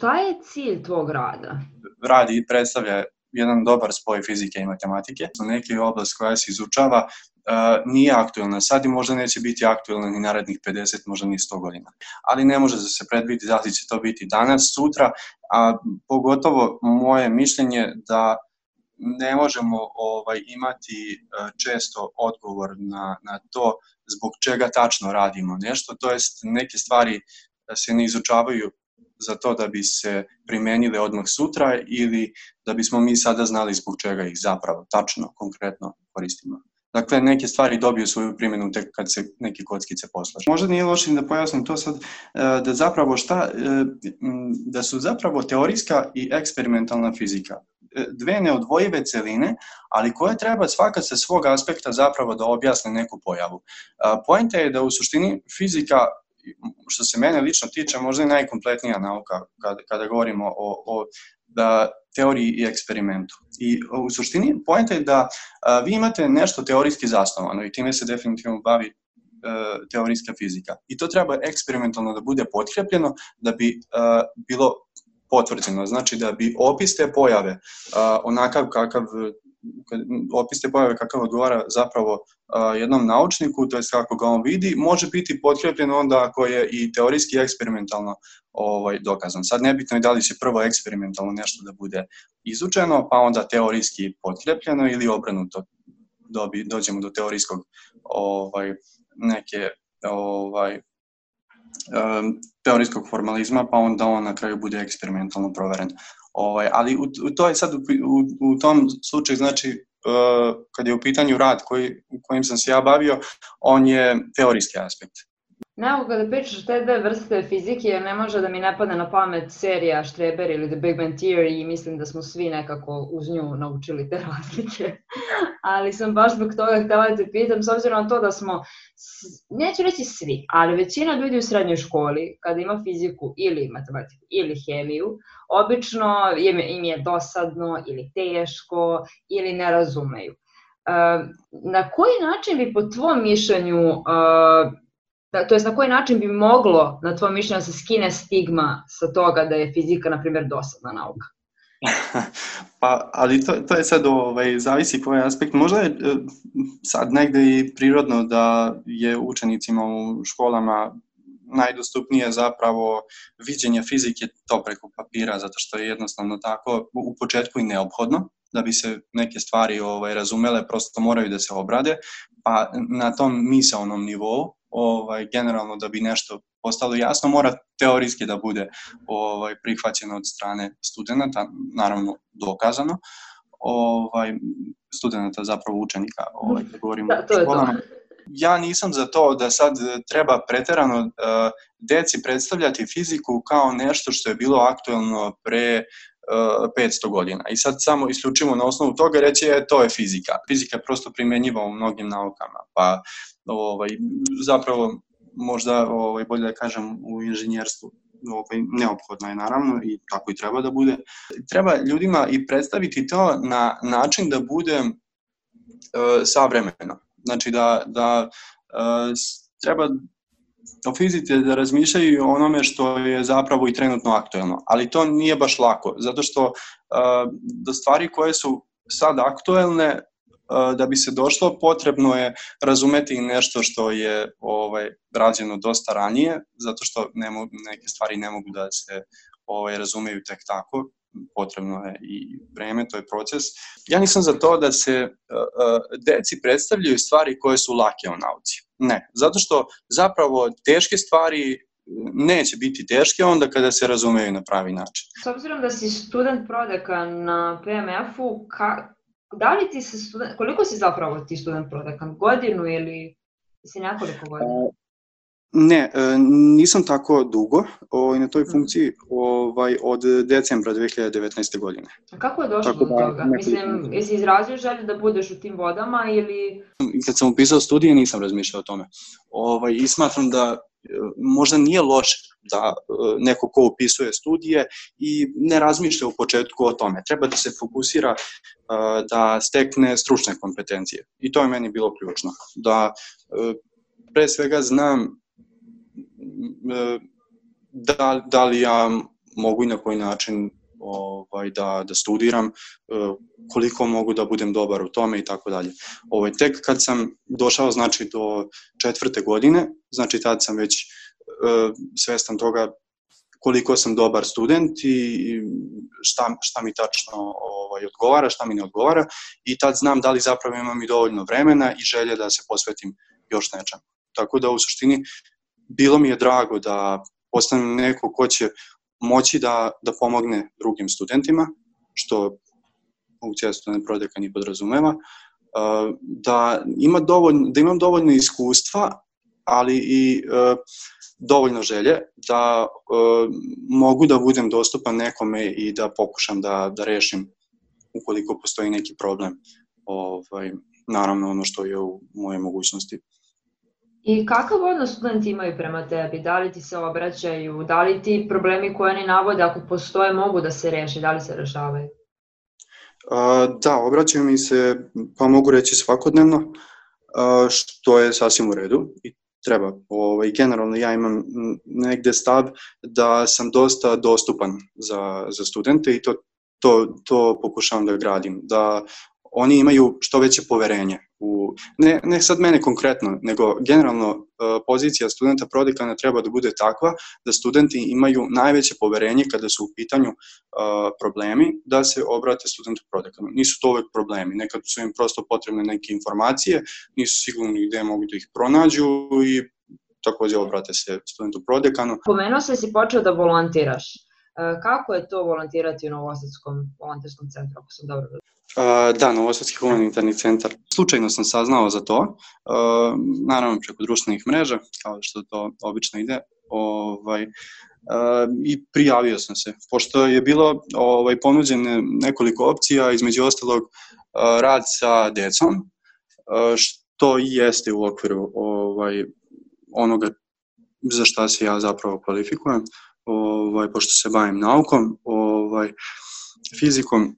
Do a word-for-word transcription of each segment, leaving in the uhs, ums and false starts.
šta je cilj tvog rada? Radi predstavlja jedan dobar spoj fizike i matematike. Neki oblast koja se izučava uh, nije aktuelna sad i možda neće biti aktuelna ni narednih pedeset, možda ni sto godina. Ali ne može da se predvidi da li će to biti danas, sutra, a pogotovo moje mišljenje da ne možemo ovaj, imati uh, često odgovor na, na to zbog čega tačno radimo nešto, to jest neke stvari se ne izučavaju za to da bi se primenile odmah sutra ili da bismo mi sada znali zbog čega ih zapravo tačno, konkretno koristimo. Dakle, neke stvari dobiju svoju primjenu tek kad se neke kockice poslažu. Možda nije loše da pojasnim to sad, da zapravo šta, da su zapravo teorijska i eksperimentalna fizika dve neodvojive celine, ali koje treba svaka sa svog aspekta zapravo da objasne neku pojavu. Poenta je da u suštini fizika, što se mene lično tiče, možda je najkompletnija nauka kada, kada govorimo o, o da, teoriji i eksperimentu. I u suštini poenta je da a, vi imate nešto teorijski zasnovano i time se definitivno bavi a, teorijska fizika. I to treba eksperimentalno da bude potkrepljeno da bi a, bilo potvrđeno. Znači da bi opis te pojave a, onakav kakav opis te pojave kakav odgovara zapravo uh, jednom naučniku, to je kako ga on vidi, može biti potkrepljen onda ako je i teorijski i eksperimentalno ovaj, dokazan. Sad nebitno je da li će prvo eksperimentalno nešto da bude izučeno, pa onda teorijski potkrepljeno ili obrnuto dobi, dođemo do teorijskog ovaj, neke ovaj, um, teorijskog formalizma, pa onda on na kraju bude eksperimentalno proveren. Ovaj, ali u, u to je sad u, u, u tom slučaju, znači, uh, kad je u pitanju rad koji, kojim sam se ja bavio, on je teorijski aspekt. Nekako kada pričaš te dve vrste fizike, ne može da mi ne padne na pamet serija Štreber ili The Big Bang Theory i mislim da smo svi nekako uz nju naučili te razlike. Ali sam baš zbog toga htjela da te pitam, s obzirom na to da smo, neću reći svi, ali većina ljudi u srednjoj školi, kada ima fiziku ili matematiku ili hemiju, obično im je dosadno ili teško ili ne razumeju. Na koji način bi po tvom mišljenju, Da, to jest na koji način bi moglo, na tvoj mišljenju, da se skine stigma sa toga da je fizika, na primjer, dosadna nauka? Pa, ali to, to je sad, ovaj, zavisi koji aspekt. Možda je sad negde i prirodno da je učenicima u školama najdostupnije zapravo viđenje fizike to preko papira, zato što je jednostavno tako u početku i neophodno. Da bi se neke stvari ovaj, razumele, prosto moraju da se obrade, pa na tom misaonom nivou, ovaj, generalno da bi nešto postalo jasno, mora teorijski da bude ovaj, prihvaćeno od strane studenta, naravno dokazano, ovaj, studenta zapravo učenika, ovaj, da govorimo da, to o školama. Ja nisam za to da sad treba preterano uh, deci predstavljati fiziku kao nešto što je bilo aktuelno pre petsto godina. I sad samo isključimo na osnovu toga reći je to je fizika. Fizika je prosto primjenjiva u mnogim naukama, pa ovaj, zapravo možda ovaj, bolje da kažem u inženjerstvu ovaj, neophodno je naravno i tako i treba da bude. Treba ljudima i predstaviti to na način da bude uh, savremeno. Znači da, da uh, treba o fizici da razmišljaju o onome što je zapravo i trenutno aktuelno. Ali to nije baš lako, zato što uh, do stvari koje su sad aktuelne, uh, da bi se došlo, potrebno je razumeti nešto što je ovaj, rađeno dosta ranije, zato što ne mogu, neke stvari ne mogu da se ovaj, razumeju tek tako. Potrebno je i vreme, to je proces. Ja nisam za to da se uh, deci predstavljaju stvari koje su lake u nauci. Ne, zato što zapravo teške stvari neće biti teške onda kada se razumeju na pravi način. S obzirom da si student prodekan na P M F-u, ka, da li ti se student, koliko si zapravo ti student prodekan? Godinu ili si nekoliko godina? Uh, Ne, nisam tako dugo ovaj, na toj funkciji ovaj, od decembra dve hiljade devetnaeste. godine. A kako je došlo do toga? Mislim, jesi izrazio želju da budeš u tim vodama ili... Kad sam upisao studije nisam razmišljao o tome. Ovaj, I smatram da možda nije loše da neko ko upisuje studije i ne razmišlja u početku o tome. Treba da se fokusira da stekne stručne kompetencije. I to je meni bilo ključno. Da pre svega znam Da, da li ja mogu i na koji način ovaj, da, da studiram, koliko mogu da budem dobar u tome i tako dalje. Ovaj, tek kad sam došao znači, do četvrte godine, znači tad sam već uh, svestan toga koliko sam dobar student i šta, šta mi tačno ovaj, odgovara, šta mi ne odgovara i tad znam da li zapravo imam i dovoljno vremena i želje da se posvetim još nečem. Tako da u suštini bilo mi je drago da postanem neko ko će moći da, da pomogne drugim studentima, što funkcija student prodeka ni podrazumeva, da, ima dovoljno, da imam dovoljno iskustva, ali i uh, dovoljno želje da uh, mogu da budem dostupan nekome i da pokušam da, da rešim ukoliko postoji neki problem. Ovaj, naravno ono što je u moje mogućnosti. I kakav odnos studenti imaju prema tebi? Da li ti se obraćaju? Da li ti problemi koje oni navode, ako postoje, mogu da se reše? Da li se rešavaju? Uh, da, obraćaju mi se, pa mogu reći svakodnevno, uh, što je sasvim u redu i treba. Ovaj, generalno ja imam negde stav da sam dosta dostupan za, za studente i to, to, to pokušavam da gradim, da oni imaju što veće poverenje. U, ne, ne sad mene konkretno, nego generalno uh, pozicija studenta prodekana treba da bude takva da studenti imaju najveće poverenje kada su u pitanju uh, problemi da se obrate studentu prodekanu. Nisu to uvek problemi, nekad su im prosto potrebne neke informacije, nisu sigurni gde mogu da ih pronađu i takođe obrate se studentu prodekanu. Pomenuo se si počeo da volontiraš. Kako je to volontirati u Novosadskom volonterskom centru, ako sam dobro razumela? Uh, da, Novosadski humanitarni centar. Slučajno sam saznao za to, uh, naravno preko društvenih mreža, kao što to obično ide, ovaj, uh, i prijavio sam se. Pošto je bilo ovaj, ponuđene nekoliko opcija, između ostalog uh, rad sa decom, uh, što i jeste u okviru ovaj, onoga za šta se ja zapravo kvalifikujem, ovaj, pošto se bavim naukom, ovaj, fizikom,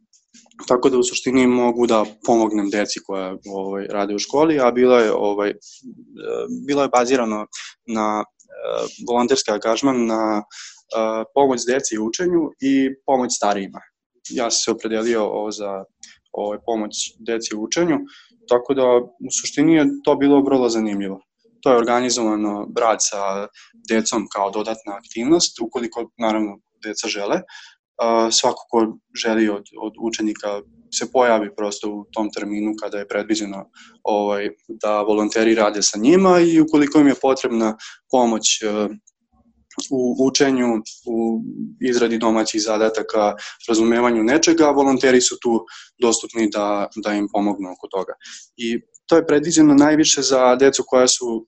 tako da u suštini mogu da pomognem deci koja ovaj, rade u školi, a bilo je, ovaj, bilo je bazirano na uh, volonterski angažman, na uh, pomoć deci u učenju i pomoć starijima. Ja sam se opredelio ovo za ovaj, pomoć deci u učenju, tako da u suštini je to bilo vrlo zanimljivo. To je organizovano rad sa decom kao dodatna aktivnost, ukoliko naravno deca žele. Uh, svako ko želi od, od učenika se pojavi prosto u tom terminu kada je predviđeno ovaj, da volonteri rade sa njima i ukoliko im je potrebna pomoć uh, u učenju, u izradi domaćih zadataka, razumevanju nečega, volonteri su tu dostupni da, da im pomognu oko toga. I to je predviđeno najviše za decu koja su uh,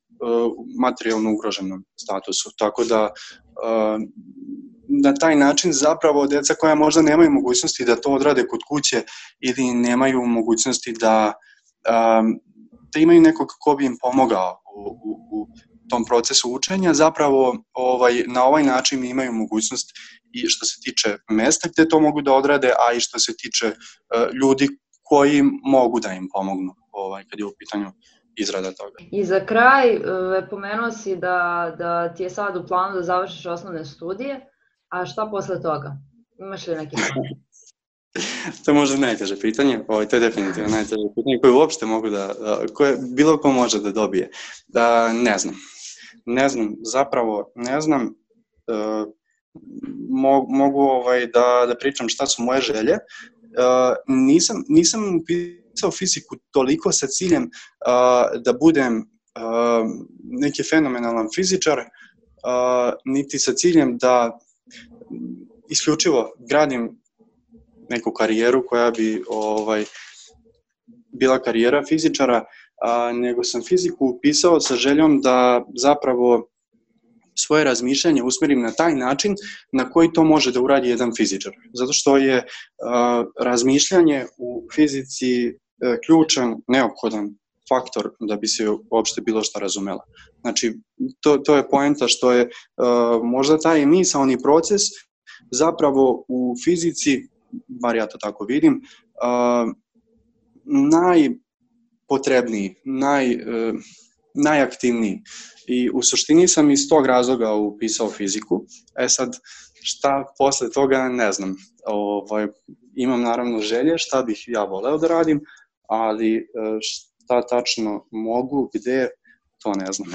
materijalno ugroženom statusu, tako da uh, na taj način zapravo deca koja možda nemaju mogućnosti da to odrade kod kuće ili nemaju mogućnosti da, um, da imaju nekog ko bi im pomogao u, u, u tom procesu učenja, zapravo ovaj, na ovaj način imaju mogućnost i što se tiče mesta gde to mogu da odrade, a i što se tiče uh, ljudi koji mogu da im pomognu ovaj, kad je u pitanju izrada toga. I za kraj, pomenuo si da, da ti je sad u planu da završiš osnovne studije, a šta posle toga? Imaš li neki plan? To je možda najteže pitanje, ovo, to je definitivno najteže pitanje koje uopšte mogu da, koje bilo ko može da dobije. Da, ne znam. Ne znam, zapravo ne znam, uh, mo, mogu ovaj, da, da pričam šta su moje želje. Uh, nisam, nisam upisao fiziku toliko sa ciljem uh, da budem uh, neki fenomenalan fizičar, uh, niti sa ciljem da isključivo gradim neku karijeru koja bi ovaj, bila karijera fizičara, a, nego sam fiziku upisao sa željom da zapravo svoje razmišljanje usmerim na taj način na koji to može da uradi jedan fizičar. Zato što je a, razmišljanje u fizici a, ključan, neophodan faktor da bi se uopšte bilo šta razumela. Znači, to, to je poenta što je a, možda taj misaoni proces zapravo u fizici, bar ja to tako vidim, uh, najpotrebniji, naj, uh, najaktivniji. I u suštini sam iz tog razloga upisao fiziku. E sad, Šta posle toga ne znam. Ovaj, imam naravno želje šta bih ja voleo da radim, ali šta tačno mogu, gde, to ne znam.